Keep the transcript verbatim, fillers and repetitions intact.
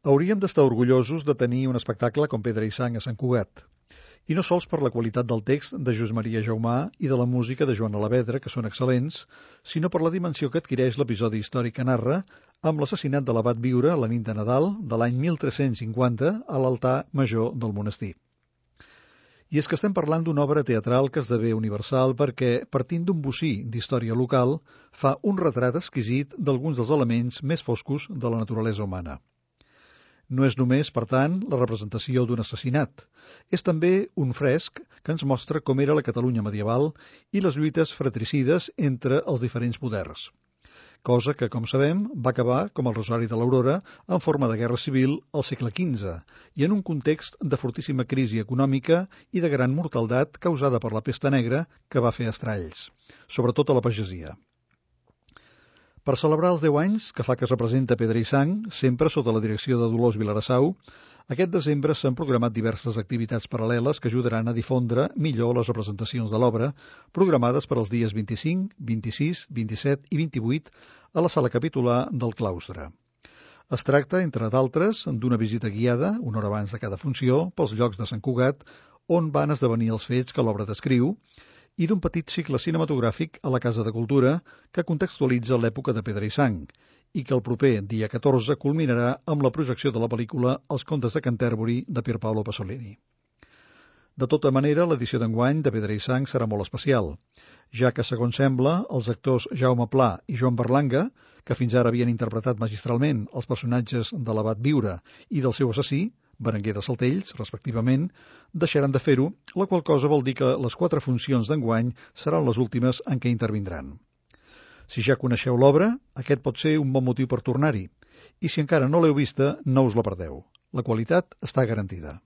Hauríem d'estar orgullosos de tenir un espectacle com Pedra i Sang a Sant Cugat. I no sols per la qualitat del text de Josep Maria Jaumà i de la música de Joan Alavedra, que són excel·lents, sinó per la dimensió que adquireix l'episodi històric que narra amb l'assassinat de l'abat Viure la nit de Nadal de l'any mil tres-cents cinquanta a l'altar major del monestir. I és que estem parlant d'una obra teatral que esdevé universal perquè, partint d'un bocí d'història local, fa un retrat exquisit d'alguns dels elements més foscos de la naturalesa humana. No és només, per tant, la representació d'un assassinat. És també un fresc que ens mostra com era la Catalunya medieval i les lluites fratricides entre els diferents poders. Cosa que, com sabem, va acabar, com el Rosari de l'Aurora, en forma de guerra civil al segle quinze i en un context de fortíssima crisi econòmica i de gran mortaldat causada per la pesta negra que va fer estralls, sobretot a la pagesia. Per celebrar els deu anys que fa que es representa Pedra i Sang, sempre sota la direcció de Dolors Vilarassau, aquest desembre s'han programat diverses activitats paral·leles que ajudaran a difondre millor les representacions de l'obra, programades per als dies vint-i-cinc, vint-i-sis, vint-i-set i vint-i-vuit a la sala capitular del claustre. Es tracta, entre d'altres, d'una visita guiada, una hora abans de cada funció, pels llocs de Sant Cugat, on van esdevenir els fets que l'obra descriu, i d'un petit cicle cinematogràfic a la Casa de Cultura que contextualitza l'època de Pedra i Sang i que el proper dia catorze culminarà amb la projecció de la pel·lícula Els contes de Canterbury de Pier Paolo Pasolini. De tota manera, l'edició d'enguany de Pedra i Sang serà molt especial, ja que, segons sembla, els actors Jaume Pla i Joan Berlanga, que fins ara havien interpretat magistralment els personatges de l'abat Viure i del seu assassí, Berenguer de Saltells, respectivament, deixaran de fer-ho, la qual cosa vol dir que les quatre funcions d'enguany seran les últimes en què intervindran. Si ja coneixeu l'obra, aquest pot ser un bon motiu per tornar-hi, i si encara no l'heu vista, no us la perdeu. La qualitat està garantida.